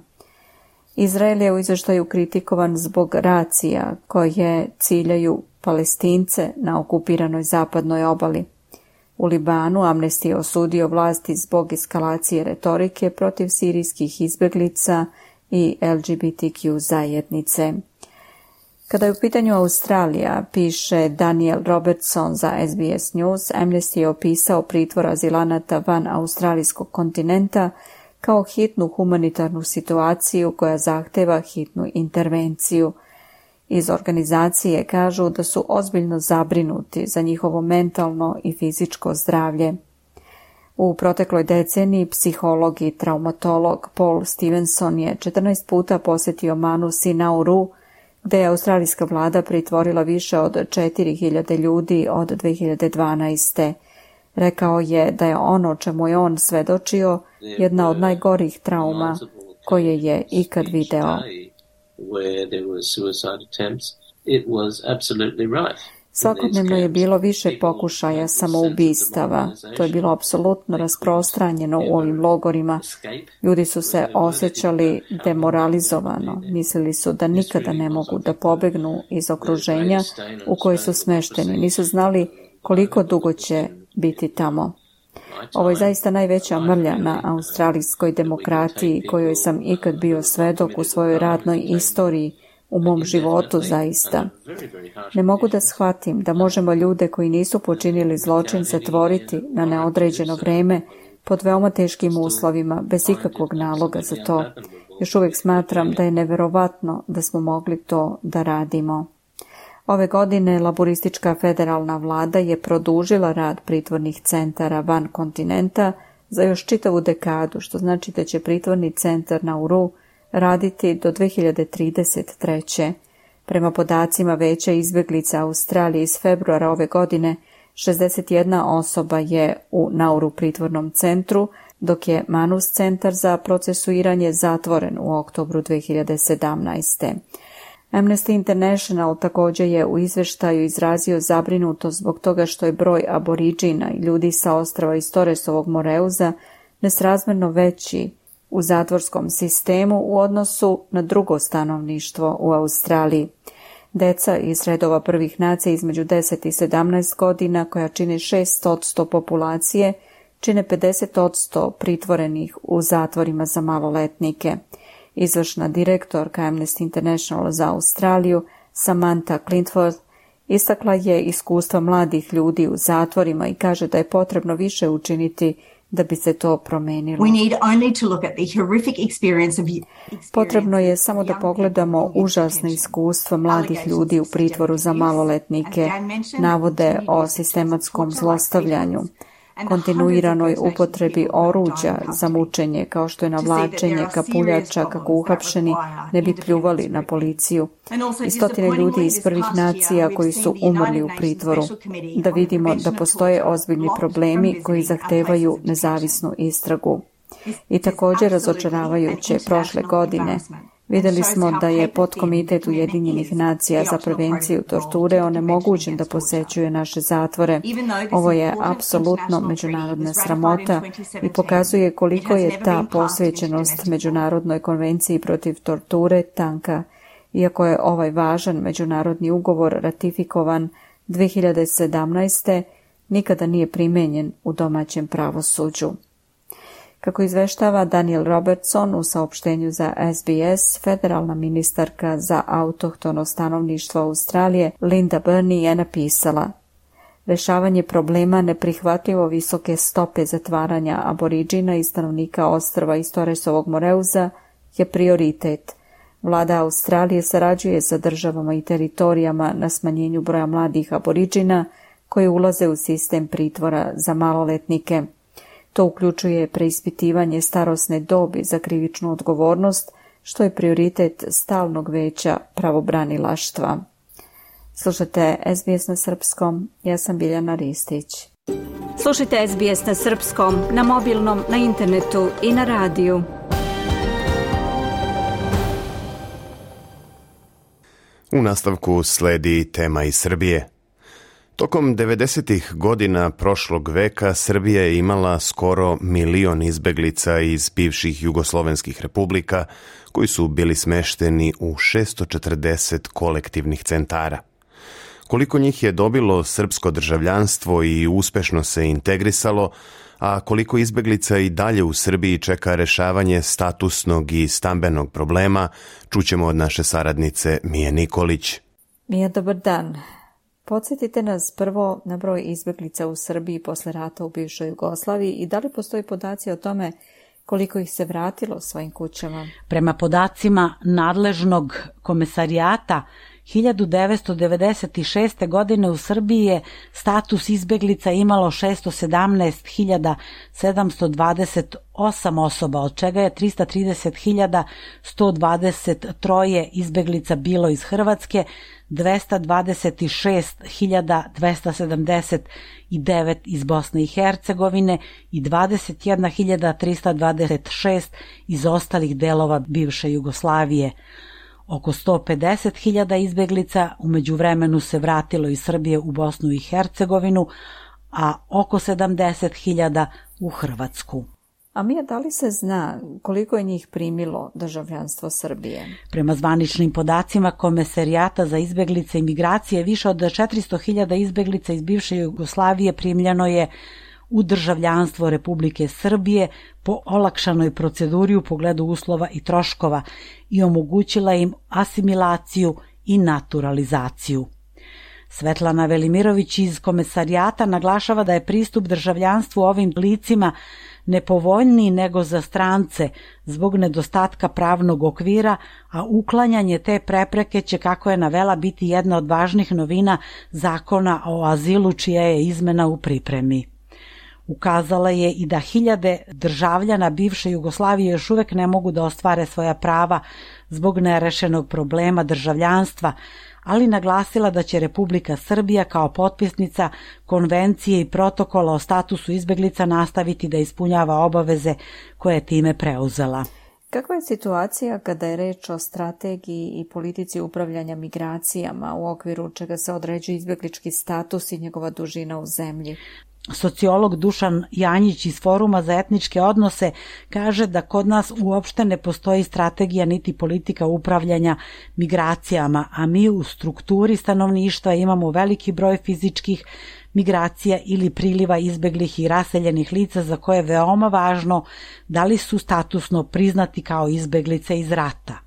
Speaker 1: Izrael je u izvještaju kritikovan zbog racija koje ciljaju Palestince na okupiranoj zapadnoj obali. U Libanu Amnesty je osudio vlasti zbog eskalacije retorike protiv sirijskih izbjeglica i LGBTQ zajednice. Kada je u pitanju Australija, piše Daniel Robertson za SBS News, Amnesty je opisao pritvor azilanata van australijskog kontinenta kao hitnu humanitarnu situaciju koja zahteva hitnu intervenciju. Iz organizacije kažu da su ozbiljno zabrinuti za njihovo mentalno i fizičko zdravlje. U protekloj deceniji psiholog i traumatolog Paul Stevenson je 14 puta posjetio Manus i Nauru, gde je australijska vlada pritvorila više od 4000 ljudi od 2012. Rekao je da je ono čemu je on svedočio jedna od najgorih trauma koje je ikad video. Svakodnevno je bilo više pokušaja samoubistava. To je bilo apsolutno rasprostranjeno u ovim logorima. Ljudi su se osjećali demoralizovano. Mislili su da nikada ne mogu da pobegnu iz okruženja u koje su smešteni. Nisu znali koliko dugo će biti tamo. Ovo je zaista najveća mrlja na australijskoj demokratiji kojoj sam ikad bio svedok u svojoj radnoj istoriji, u mom životu zaista. Ne mogu da shvatim da možemo ljude koji nisu počinili zločin zatvoriti na neodređeno vreme pod veoma teškim uslovima, bez ikakvog naloga za to. Još uvijek smatram da je neverovatno da smo mogli to da radimo. Ove godine laboristička federalna vlada je produžila rad pritvornih centara van kontinenta za još čitavu dekadu, što znači da će pritvorni centar Nauru raditi do 2033. Prema podacima Veća izbjeglica Australije iz februara ove godine, 61 osoba je u Nauru pritvornom centru, dok je Manus centar za procesuiranje zatvoren u oktobru 2017. Amnesty International također je u izvještaju izrazio zabrinutost zbog toga što je broj aboriđina i ljudi sa ostrava iz Torresovog Moreuza nesrazmjerno veći u zatvorskom sistemu u odnosu na drugo stanovništvo u Australiji. Deca iz redova prvih nacija između 10 i 17 godina, koja čine 6% populacije, čine 50% pritvorenih u zatvorima za maloletnike. Izvršna direktorka Amnesty International za Australiju, Samantha Clintworth, istakla je iskustva mladih ljudi u zatvorima i kaže da je potrebno više učiniti da bi se to promenilo. Potrebno je samo da pogledamo užasne iskustva mladih ljudi u pritvoru za maloletnike, navode o sistematskom zlostavljanju, kontinuiranoj upotrebi oruđa za mučenje, kao što je navlačenje kapuljača kako uhapšeni ne bi pljuvali na policiju, i stotine ljudi iz prvih nacija koji su umrli u pritvoru. Da vidimo da postoje ozbiljni problemi koji zahtevaju nezavisnu istragu. I također razočaravajuće, prošle godine vidjeli smo da je podkomitet Ujedinjenih nacija za prevenciju torture onemogućen da posećuje naše zatvore. Ovo je apsolutno međunarodna sramota i pokazuje koliko je ta posvećenost Međunarodnoj konvenciji protiv torture tanka, iako je ovaj važan međunarodni ugovor ratifikovan 2017. nikada nije primenjen u domaćem pravosuđu. Kako izveštava Daniel Robertson u saopštenju za SBS, federalna ministarka za autohtono stanovništvo Australije Linda Burney je napisala: rešavanje problema neprihvatljivo visoke stope zatvaranja aboriđina i stanovnika ostrva iz Torresovog Moreuza je prioritet. Vlada Australije sarađuje sa državama i teritorijama na smanjenju broja mladih aboriđina koji ulaze u sistem pritvora za maloletnike. To uključuje preispitivanje starosne dobi za krivičnu odgovornost, što je prioritet stalnog veća pravobranilaštva. Slušajte SBS na srpskom, ja sam Biljana Ristić.
Speaker 13: Slušajte SBS na srpskom, na mobilnom, na internetu i na radiju.
Speaker 3: U nastavku sledi tema iz Srbije. Tokom 90-ih godina prošlog veka Srbija je imala skoro 1 milion izbeglica iz bivših jugoslovenskih republika koji su bili smešteni u 640 kolektivnih centara. Koliko njih je dobilo srpsko državljanstvo i uspešno se integrisalo, a koliko izbeglica i dalje u Srbiji čeka rešavanje statusnog i stambenog problema, čućemo od naše saradnice Mije Nikolić.
Speaker 1: Mija, dobar dan. Podsjetite nas prvo na broj izbeglica u Srbiji posle rata u bivšoj Jugoslaviji i da li postoji podaci o tome Koliko ih se vratilo svojim kućama?
Speaker 14: Prema podacima nadležnog komesarijata, 1996. godine u Srbiji je status izbeglica imalo 617.728 osoba, od čega je 330.123 izbeglica bilo iz Hrvatske, 226.279 iz Bosne i Hercegovine i 21.326 iz ostalih delova bivše Jugoslavije. Oko 150.000 izbeglica u međuvremenu se vratilo iz Srbije u Bosnu i Hercegovinu, a oko 70.000 u Hrvatsku.
Speaker 1: A Mija, da li se zna koliko je njih primilo državljanstvo Srbije?
Speaker 14: Prema zvaničnim podacima Komesarijata za izbeglice i migracije, više od 400.000 izbeglica iz bivše Jugoslavije primljeno je u državljanstvo Republike Srbije po olakšanoj proceduri u pogledu uslova i troškova i omogućila im asimilaciju i naturalizaciju. Svetlana Velimirović iz Komesarijata naglašava da je pristup državljanstvu ovim licima nepovoljniji nego za strance zbog nedostatka pravnog okvira, a uklanjanje te prepreke će, kako je navela, biti jedna od važnih novina Zakona o azilu, čija je izmena u pripremi. Ukazala je i da hiljade državljana bivše Jugoslavije još uvek ne mogu da ostvare svoja prava zbog nerešenog problema državljanstva, ali naglasila da će Republika Srbija kao potpisnica konvencije i protokola o statusu izbeglica nastaviti da ispunjava obaveze koje je time preuzela.
Speaker 1: Kakva je situacija kada je reč o strategiji i politici upravljanja migracijama, u okviru čega se određuje izbeglički status i njegova dužina u zemlji?
Speaker 14: Sociolog Dušan Janjić iz Foruma za etničke odnose kaže da kod nas uopšte ne postoji strategija niti politika upravljanja migracijama, a mi u strukturi stanovništva imamo veliki broj fizičkih migracija ili priliva izbeglih i raseljenih lica za koje je veoma važno da li su statusno priznati kao izbeglice iz rata.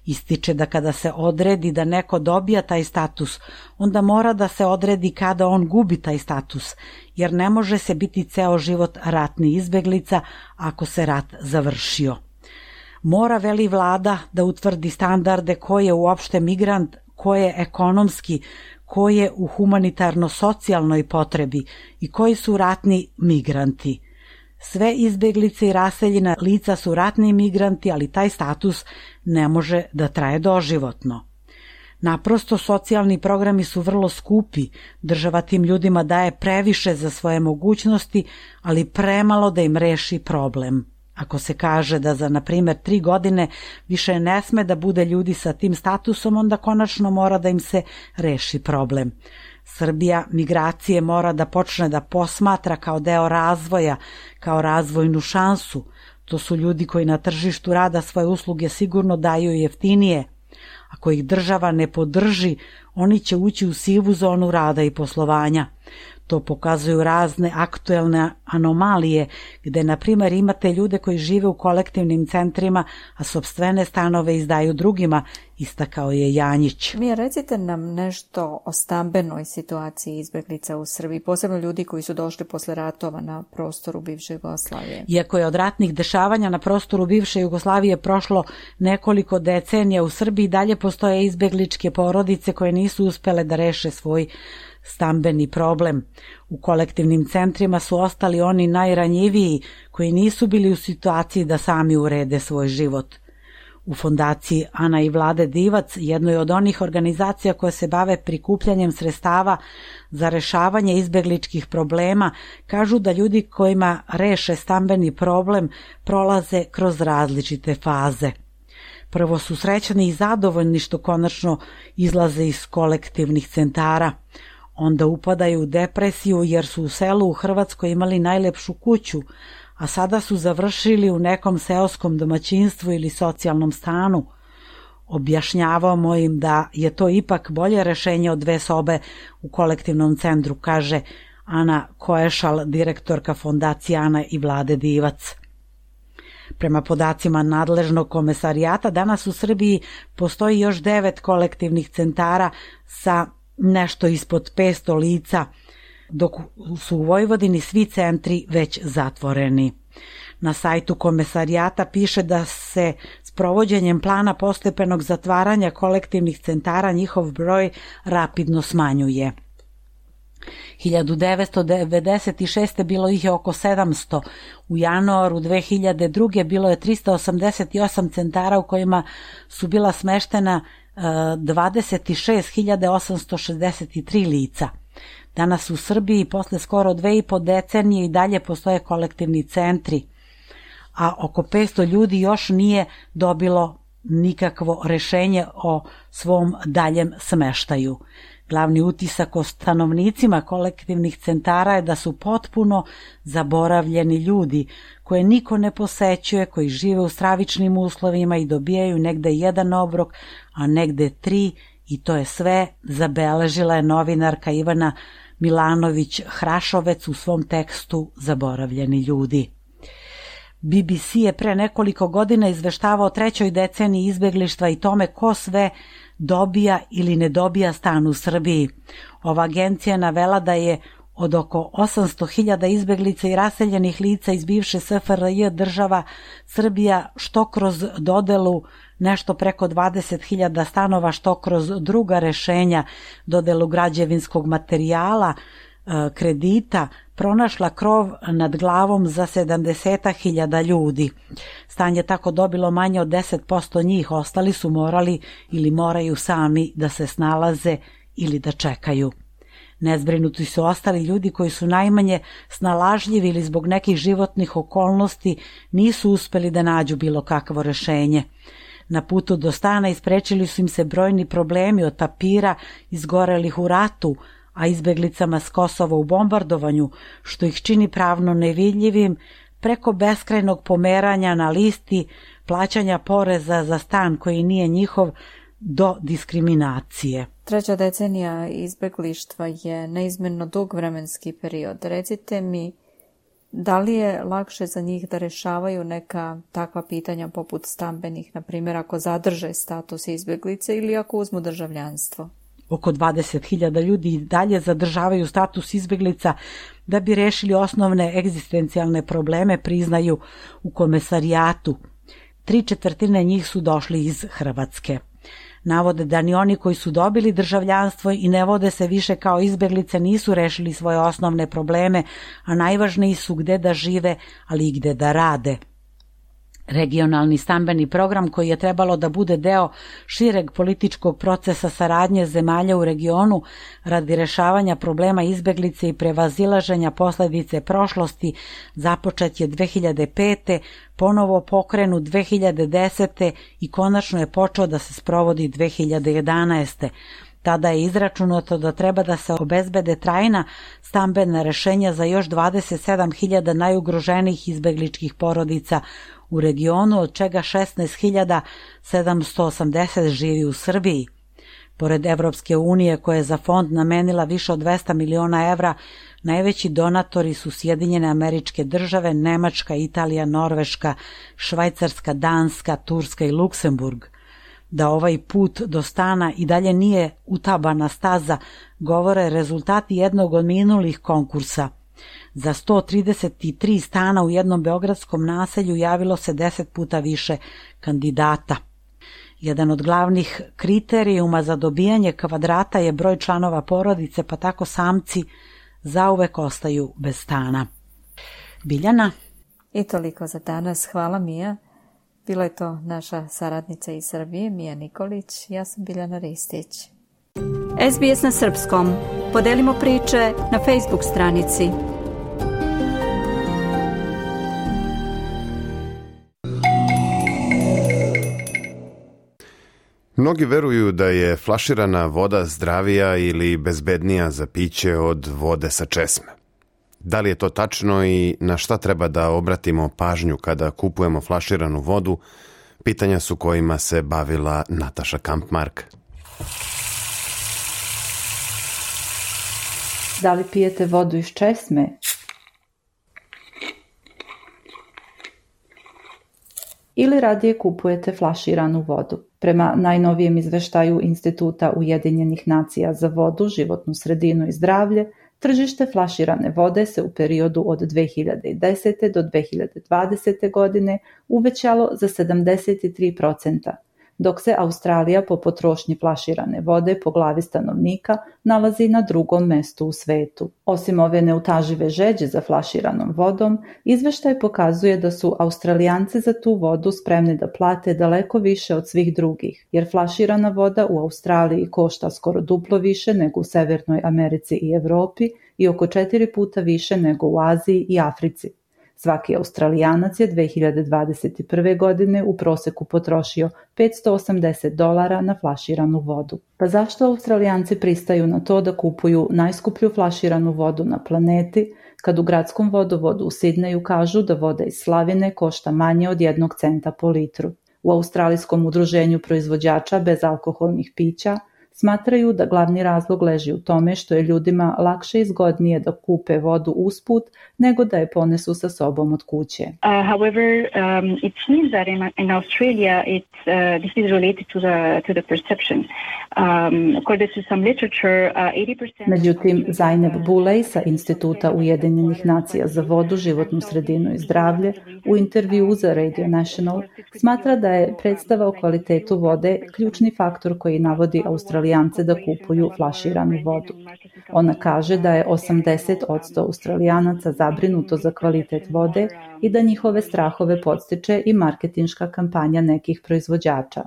Speaker 14: Ističe da kada se odredi da neko dobija taj status, onda mora da se odredi kada on gubi taj status, jer ne može se biti ceo život ratni izbeglica ako se rat završio. Mora, veli vlada, da utvrdi standarde ko je uopšte migrant, ko je ekonomski, ko je u humanitarno-socijalnoj potrebi i koji su ratni migranti. Sve izbeglice i raseljena lica su ratni migranti, ali taj status ne može da traje doživotno. Naprosto, socijalni programi su vrlo skupi, država tim ljudima daje previše za svoje mogućnosti, ali premalo da im reši problem. Ako se kaže da za, na primjer, 3 godine više ne sme da bude ljudi sa tim statusom, onda konačno mora da im se reši problem. Srbija migracije mora da počne da posmatra kao deo razvoja, kao razvojnu šansu. To su ljudi koji na tržištu rada svoje usluge sigurno daju jeftinije. Ako ih država ne podrži, oni će ući u sivu zonu rada i poslovanja. To pokazuju razne aktuelne anomalije, gde, na primjer, imate ljude koji žive u kolektivnim centrima, a sopstvene stanove izdaju drugima, istakao je Janjić.
Speaker 1: Mija, recite nam nešto o stambenoj situaciji izbeglica u Srbiji, posebno ljudi koji su došli posle ratova na prostoru bivše Jugoslavije.
Speaker 14: Iako je od ratnih dešavanja na prostoru bivše Jugoslavije prošlo nekoliko decenija, u Srbiji dalje postoje izbegličke porodice koje nisu uspele da reše svoj stambeni problem. U kolektivnim centrima su ostali oni najranjiviji koji nisu bili u situaciji da sami urede svoj život. U fondaciji Ana i Vlade Divac, jednoj od onih organizacija koje se bave prikupljanjem sredstava za rešavanje izbegličkih problema, kažu da ljudi kojima reše stambeni problem prolaze kroz različite faze. Prvo su srećni i zadovoljni što konačno izlaze iz kolektivnih centara. Onda upadaju u depresiju jer su u selu u Hrvatskoj imali najlepšu kuću, a sada su završili u nekom seoskom domaćinstvu ili socijalnom stanu. Objašnjavamo im da je to ipak bolje rešenje od 2 sobe u kolektivnom centru, kaže Ana Koešal, direktorka fondacije Ana i Vlade Divac. Prema podacima nadležnog komesarijata, danas u Srbiji postoji još 9 kolektivnih centara sa nešto ispod 500 lica, dok su u Vojvodini svi centri već zatvoreni. Na sajtu komesarijata piše da se s provođenjem plana postepenog zatvaranja kolektivnih centara njihov broj rapidno smanjuje. 1996. bilo ih je oko 700, u januaru 2002. bilo je 388 centara u kojima su bila smeštena 26.863 lica. Danas u Srbiji, posle skoro 2,5 decenije, i dalje postoje kolektivni centri, a oko 500 ljudi još nije dobilo nikakvo rešenje o svom daljem smeštaju. Glavni utisak o stanovnicima kolektivnih centara je da su potpuno zaboravljeni ljudi koje niko ne posećuje, koji žive u stravičnim uslovima i dobijaju negde 1 obrok, a negde 3, i to je sve, zabeležila je novinarka Ivana Milanović-Hrašovec u svom tekstu Zaboravljeni ljudi. BBC je pre nekoliko godina izveštavao o 3. deceniji izbeglištva i tome ko sve dobija ili ne dobija stan u Srbiji. Ova agencija navela da je od oko 800.000 izbeglica i raseljenih lica iz bivše SFRJ država Srbija što kroz dodelu nešto preko 20.000 stanova, što kroz druga rešenja, dodelu građevinskog materijala, kredita, pronašla krov nad glavom za 70.000 ljudi. Stan je tako dobilo manje od 10% njih, ostali su morali ili moraju sami da se snalaze ili da čekaju. Nezbrinuti su ostali ljudi koji su najmanje snalažljivi ili zbog nekih životnih okolnosti nisu uspeli da nađu bilo kakvo rešenje. Na putu do stana isprečili su im se brojni problemi, od papira izgorelih u ratu, a izbeglicama s Kosova u bombardovanju, što ih čini pravno nevidljivim, preko beskrajnog pomeranja na listi, plaćanja poreza za stan koji nije njihov, do diskriminacije.
Speaker 1: 3. decenija izbeglištva je neizmjerno dug vremenski period. Recite mi, da li je lakše za njih da rešavaju neka takva pitanja poput stambenih, na primjer ako zadrže status izbeglice ili ako uzmu državljanstvo?
Speaker 14: Oko 20.000 ljudi i dalje zadržavaju status izbeglica da bi rešili osnovne egzistencijalne probleme, priznaju u komesarijatu. 3/4 njih su došli iz Hrvatske. Navode da ni oni koji su dobili državljanstvo i ne vode se više kao izbeglice nisu rešili svoje osnovne probleme, a najvažniji su gde da žive, ali i gde da rade. Regionalni stambeni program, koji je trebalo da bude deo šireg političkog procesa saradnje zemalja u regionu radi rešavanja problema izbeglice i prevazilaženja posledice prošlosti, započet je 2005. ponovo pokrenut 2010. i konačno je počeo da se sprovodi 2011. Tada je izračunato da treba da se obezbede trajna stambena rešenja za još 27.000 najugroženijih izbegličkih porodica u regionu, od čega 16.780 živi u Srbiji. Pored Evropske unije, koja je za fond namenila više od 200 miliona evra, najveći donatori su Sjedinjene Američke Države, Nemačka, Italija, Norveška, Švajcarska, Danska, Turska i Luksemburg. Da ovaj put do stana i dalje nije utabana staza, govore rezultati jednog od minulih konkursa. Za 133 stana u jednom beogradskom naselju javilo se 10 puta više kandidata. Jedan od glavnih kriterijuma za dobijanje kvadrata je broj članova porodice, pa tako samci zauvek ostaju bez stana. Biljana?
Speaker 1: I toliko za danas. Hvala, Mija. Bila je to naša saradnica iz Srbije, Mija Nikolić. Ja sam Biljana Ristić.
Speaker 13: SBS na srpskom. Podelimo priče na Facebook stranici.
Speaker 3: Mnogi veruju da je flaširana voda zdravija ili bezbednija za piće od vode sa česme. Da li je to tačno i na šta treba da obratimo pažnju kada kupujemo flaširanu vodu? Pitanja su kojima se bavila Nataša Kampmark.
Speaker 15: Da li pijete vodu iz česme? Ili radije kupujete flaširanu vodu? Prema najnovijem izveštaju Instituta Ujedinjenih nacija za vodu, životnu sredinu i zdravlje, Tržište flaširane vode se u periodu od 2010. do 2020. godine uvećalo za 73%, dok se Australija po potrošnji flaširane vode po glavi stanovnika nalazi na drugom mestu u svetu. Osim ove neutažive žeđe za flaširanom vodom, izveštaj pokazuje da su Australijanci za tu vodu spremni da plate daleko više od svih drugih, jer flaširana voda u Australiji košta skoro duplo više nego u Severnoj Americi i Evropi i oko 4 puta više nego u Aziji i Africi. Svaki Australijanac je 2021. godine u proseku potrošio $580 na flaširanu vodu. Pa zašto Australijanci pristaju na to da kupuju najskuplju flaširanu vodu na planeti, kad u gradskom vodovodu u Sidneju kažu da voda iz slavine košta manje od 1 centa po litru? U Australijskom udruženju proizvođača bezalkoholnih pića smatraju da glavni razlog leži u tome što je ljudima lakše i zgodnije da kupe vodu usput nego da je ponesu sa sobom od kuće.
Speaker 16: However, it seems that in Australia this is related to the perception. According to some literature, 80%...
Speaker 15: Međutim, Zainab Bulej sa Instituta Ujedinjenih nacija za vodu, životnu sredinu i zdravlje u intervjuu za Radio National smatra da je predstava o kvalitetu vode ključni faktor koji navodi Australijance da kupuju flaširanu vodu. Ona kaže da je 80% Australijanaca zabrinuto za kvalitet vode i da njihove strahove podstiče i marketinška kampanja nekih proizvođača.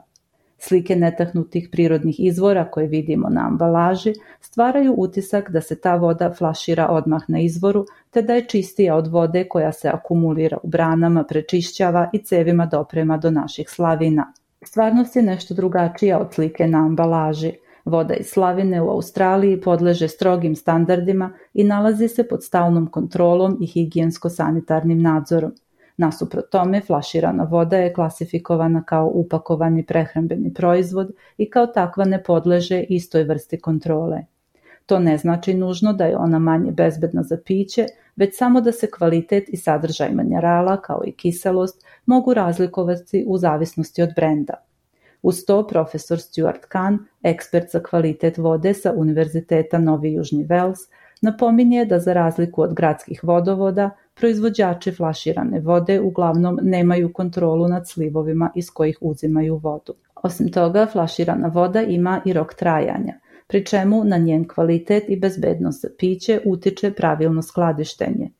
Speaker 15: Slike netahnutih prirodnih izvora koje vidimo na ambalaži stvaraju utisak da se ta voda flašira odmah na izvoru, te da je čistija od vode koja se akumulira u branama, prečišćava i cevima doprema do naših slavina. Stvarnost je nešto drugačija od slike na ambalaži. Voda iz slavine u Australiji podleže strogim standardima i nalazi se pod stalnom kontrolom i higijensko-sanitarnim nadzorom. Nasuprot tome, flaširana voda je klasifikovana kao upakovani prehrambeni proizvod i kao takva ne podleže istoj vrsti kontrole. To ne znači nužno da je ona manje bezbedna za piće, već samo da se kvalitet i sadržaj minerala kao i kiselost mogu razlikovati u zavisnosti od brenda. Uz to, profesor Stuart Kahn, ekspert za kvalitet vode sa Univerziteta Novi Južni Vels, napominje da za razliku od gradskih vodovoda, proizvođači flaširane vode uglavnom nemaju kontrolu nad slivovima iz kojih uzimaju vodu. Osim toga, flaširana voda ima i rok trajanja, pri čemu na njen kvalitet i bezbednost za piće utiče pravilno skladištenje.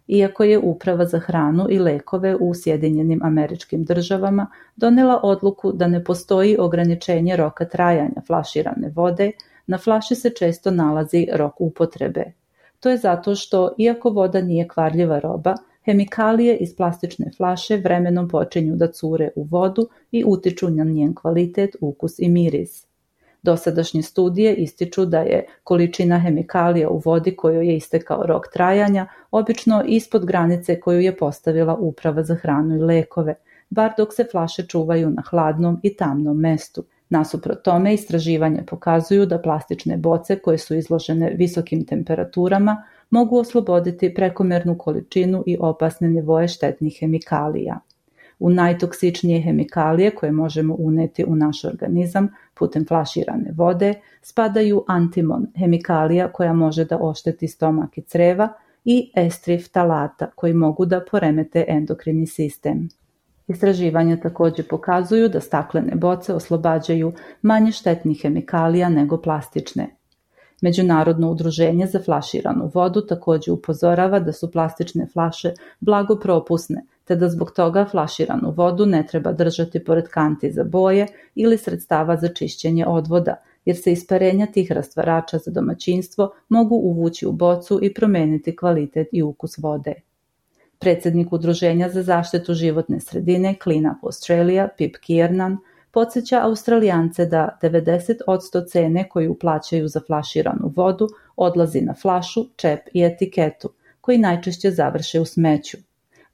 Speaker 15: Iako je Uprava za hranu i lekove u Sjedinjenim Američkim Državama donela odluku da ne postoji ograničenje roka trajanja flaširane vode, na flaši se često nalazi rok upotrebe. To je zato što, iako voda nije kvarljiva roba, hemikalije iz plastične flaše vremenom počinju da cure u vodu i utiču na njen kvalitet, ukus i miris. Dosadašnje studije ističu da je količina hemikalija u vodi kojoj je istekao rok trajanja obično ispod granice koju je postavila Uprava za hranu i lekove, bar dok se flaše čuvaju na hladnom i tamnom mestu. Nasuprot tome, istraživanja pokazuju da plastične boce koje su izložene visokim temperaturama mogu osloboditi prekomernu količinu i opasne nivoe štetnih hemikalija. U najtoksičnije hemikalije koje možemo uneti u naš organizam putem flaširane vode spadaju antimon, hemikalija koja može da ošteti stomak i creva, i estriftalata koji mogu da poremete endokrini sistem. Istraživanja također pokazuju da staklene boce oslobađaju manje štetnih hemikalija nego plastične. Međunarodno udruženje za flaširanu vodu također upozorava da su plastične flaše blago propusne, te da zbog toga flaširanu vodu ne treba držati pored kanti za boje ili sredstava za čišćenje odvoda, jer se isparenja tih rastvarača za domaćinstvo mogu uvući u bocu i promeniti kvalitet i ukus vode. Predsjednik Udruženja za zaštitu životne sredine Clean Up Australia, Pip Kiernan, podsjeća Australijance da 90% cene koju plaćaju za flaširanu vodu odlazi na flašu, čep i etiketu, koji najčešće završe u smeću.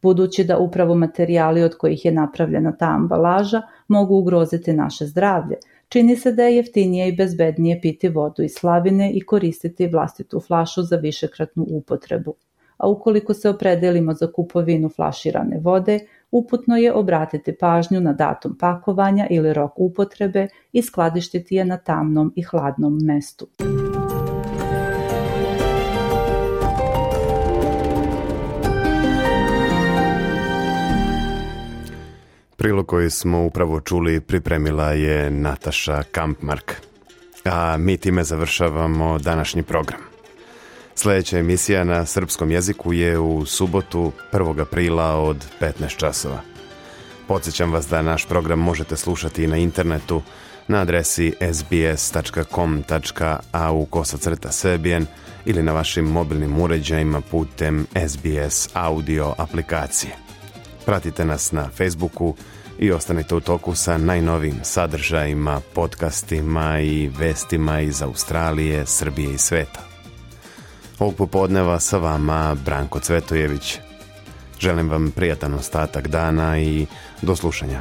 Speaker 15: Budući da upravo materijali od kojih je napravljena ta ambalaža mogu ugroziti naše zdravlje, čini se da je jeftinije i bezbednije piti vodu iz slavine i koristiti vlastitu flašu za višekratnu upotrebu. A ukoliko se opredelimo za kupovinu flaširane vode, uputno je obratiti pažnju na datum pakovanja ili rok upotrebe i skladištiti je na tamnom i hladnom mestu.
Speaker 3: koju smo upravo čuli pripremila je Nataša Kampmark. A mi time završavamo današnji program. Sljedeća emisija na srpskom jeziku je u subotu 1. aprila od 15 časova. Podsjećam vas da naš program možete slušati i na internetu na adresi sbs.com.au/serbian ili na vašim mobilnim uređajima putem SBS audio aplikacije. Pratite nas na Facebooku i ostanite u toku sa najnovijim sadržajima, podcastima i vestima iz Australije, Srbije i sveta. Ovog popodneva sa vama Branko Cvetojević. Želim vam prijatan ostatak dana i do slušanja.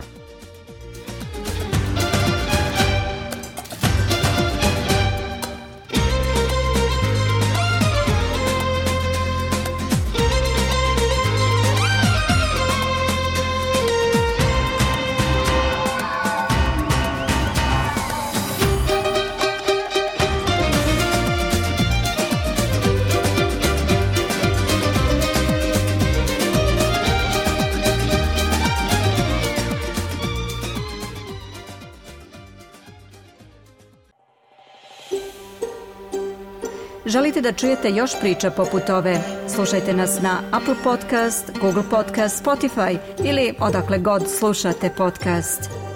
Speaker 13: Želite da čujete još priča poput ove? Slušajte nas na Apple Podcast, Google Podcast, Spotify ili odakle god slušate podcast.